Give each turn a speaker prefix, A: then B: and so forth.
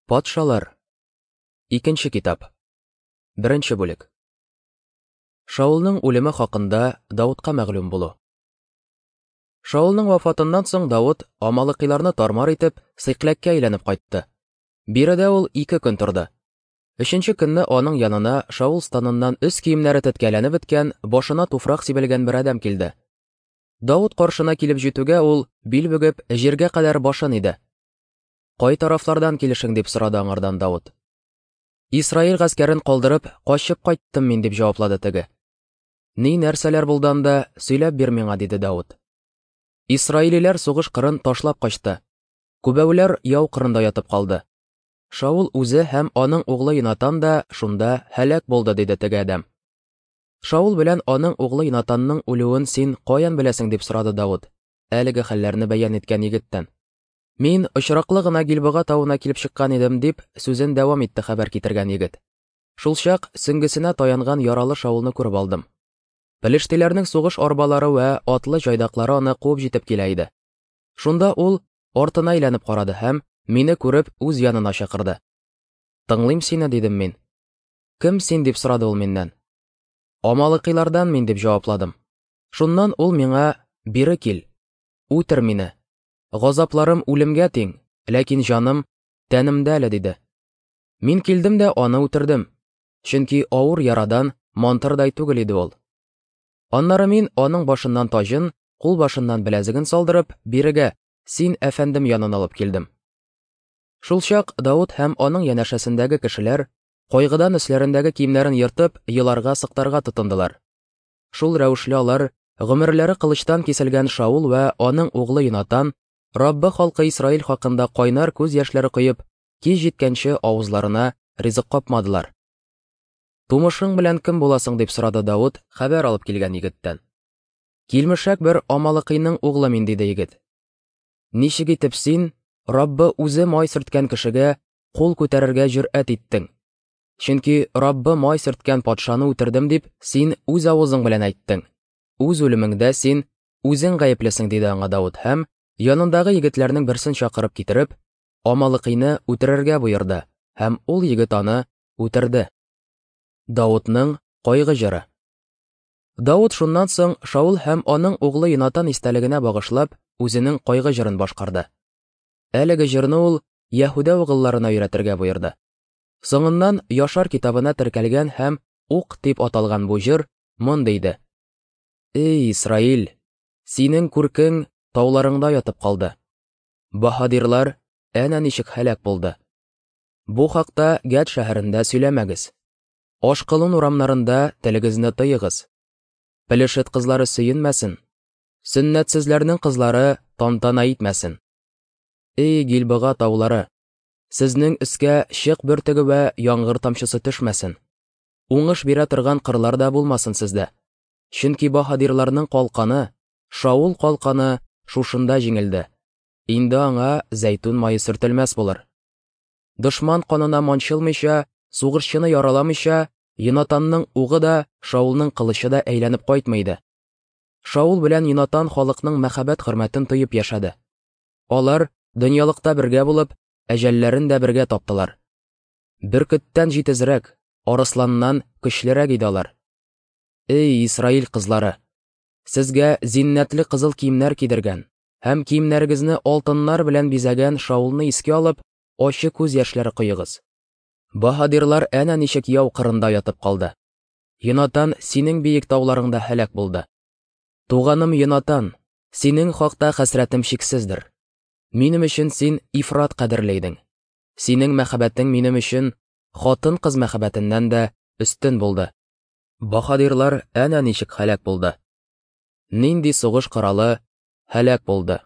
A: Патшалар. Икенче китап. Беренче бүлек. Шаулның үлеме хакында Давытка мәгълүм булу. Шаулның вафатыннан соң Давыт амалыкыйларны тармар итеп, Сыйкләккә әйләнеп кайтты. Биредә ул ике көн торды. Өченче көнне аның янына Шаул станыннан өс киемнәре теткәләнеп беткән, башына туфрак сибелгән бер адәм килде. Давыт каршына килеп җитүгә ул, бил бөгеп, җиргә кадәр башын иде. Кай тарафлардан килешең дип сорады аңардан Давыт. Исраил гаскәрен калдырып, качып кайттым мин дип җаваплады теге. Ни нәрсәләр булды анда, сөйләп бир миңа, диде Давыт. Исраилиләр сугыш кырын ташлап качты. Күбәүләр яу кырында ятып калды. Шаул үзе һәм аның углы Йонатан да шунда һәлак булды, диде теге адәм. Шаул белән аның углы Йонатанның үлүен син каян беләсең, дип сорады Давыт, әлеге хәлләрне бәян иткән егеттән. Мин очраклы гына Гилбога тавына килеп чыккан идем, дип сүзен дәвам итте хәбәр китергән егет. Шулчак сөңгесенә таянган яралы Шаулны күреп алдым. Пелештиләрнең сугыш арбалары вә атлы җайдаклары аны куып җитеп килә иде. Шунда ул артына әйләнеп карады һәм, мине күреп, үз янына чакырды. Тыңлыйм сине, дидем мин. Кем син, дип сорады ул миннән. Амалыкыйлардан мин, дип җавапладым. Шуннан ул миңа, бире кил, үтер мине, Газапларым үлемгә тиң, ләкин җаным тәнемдә әле, диде. Мин килдем дә аны үтердем, чөнки авыр ярадан мантырдай түгел иде ул. Аннары мин аның башыннан таҗын, кулбашыннан беләзеген салдырып, бирегә, син әфәндем янына алып килдем. Шулчак Давыт һәм аның янәшәсендәге кешеләр, кайгыдан өсләрендәге киемнәрен ертып, еларга-сыктарга тотындылар. Шул рәвешле алар, гомерләре кылычтан киселгән Шаул вә аның углы Йонатан, Раббы халкы Исраил хакында кайнар күз яшьләре коеп, кич җиткәнче авызларына ризык капмадылар. Тумышың белән кем буласың, дип сорады Давыт хәбәр алып килгән егеттән. Килмешәк бер Амалыкыйның углы мин, диде егет. Ничек итеп син, Раббы үзе май сөрткән кешегә кул күтәрергә җөрьәт иттең? Чөнки Раббы май сөрткән патшаны үтердем дип, син үз авызың белән әйттең. Үз үлемеңдә син үзең гаеплесең, диде аңа Давыт һәм, янындагы егетләрнең берсен чакырып китереп, Амалыкыйны үтерергә боерды, һәм ул егет аны үтерде. Давытның кайгы җыры. Давыт шуннан соң Шаул һәм аның углы Йонатан истәлегенә багышлап, үзенең кайгы җырын башкарды. Әлеге җырны ул Яһүдә угылларына өйрәтергә боерды. Соңыннан Яшар китабына теркәлгән һәм Ук дип аталган бу җыр мондый иде. Эй, Исраил, синең күркең тауларыңда ятып калды. Баһадирлар әнә ничек һәлак булды. Бу хакта Гәт шәһәрендә сөйләмәгез. Ашкылун урамнарында телегезне тыегыз. Пелешет кызлары сөенмәсен. Сөннәтсезләрнең кызлары тантана итмәсен. Эй, Гилбыга таулары, Сезнең өскә чык бөртеге вә яңгыр тамчысы төшмәсен. Уңыш бирә торган кырлар да булмасын сездә. Чөнки баһадирларның калканы, Шаул калканы шушында җиңелде. Инде аңа зәйтүн мае сөртелмәс булыр. Дошман канына манчылмыйча, сугышчыны яраламыйча, Йонатанның угы да, Шаулның кылычы да әйләнеп кайтмый иде. Шаул белән Йонатан халыкның мәхәббәт-хөрмәтен тоеп яшәде. Алар, дөньялыкта бергә булып, әҗәлләрен дә бергә таптылар. Бөркеттән җитезрәк, арысланнан көчлерәк иде алар. Эй, Исраил кызлары! Сезгә зиннәтле кызыл киемнәр кидергән һәм киемнәрегезне алтыннар белән бизәгән Шаулны искә алып, ачы күз яшьләре коегыз. Баһадирлар әнә ничек яу кырында ятып калды. Йонатан синең биек тауларыңда һәлак булды. Туганым Йонатан, синең хакта хәсрәтем чиксездер. Минем өчен син ифрат кадерле идең. Синең мәхәббәтең минем өчен хатын-кыз мәхәббәтеннән дә өстен булды. Баһадирлар әнә ничек һәлак булды. Нинди сугыш коралы һәлак булды.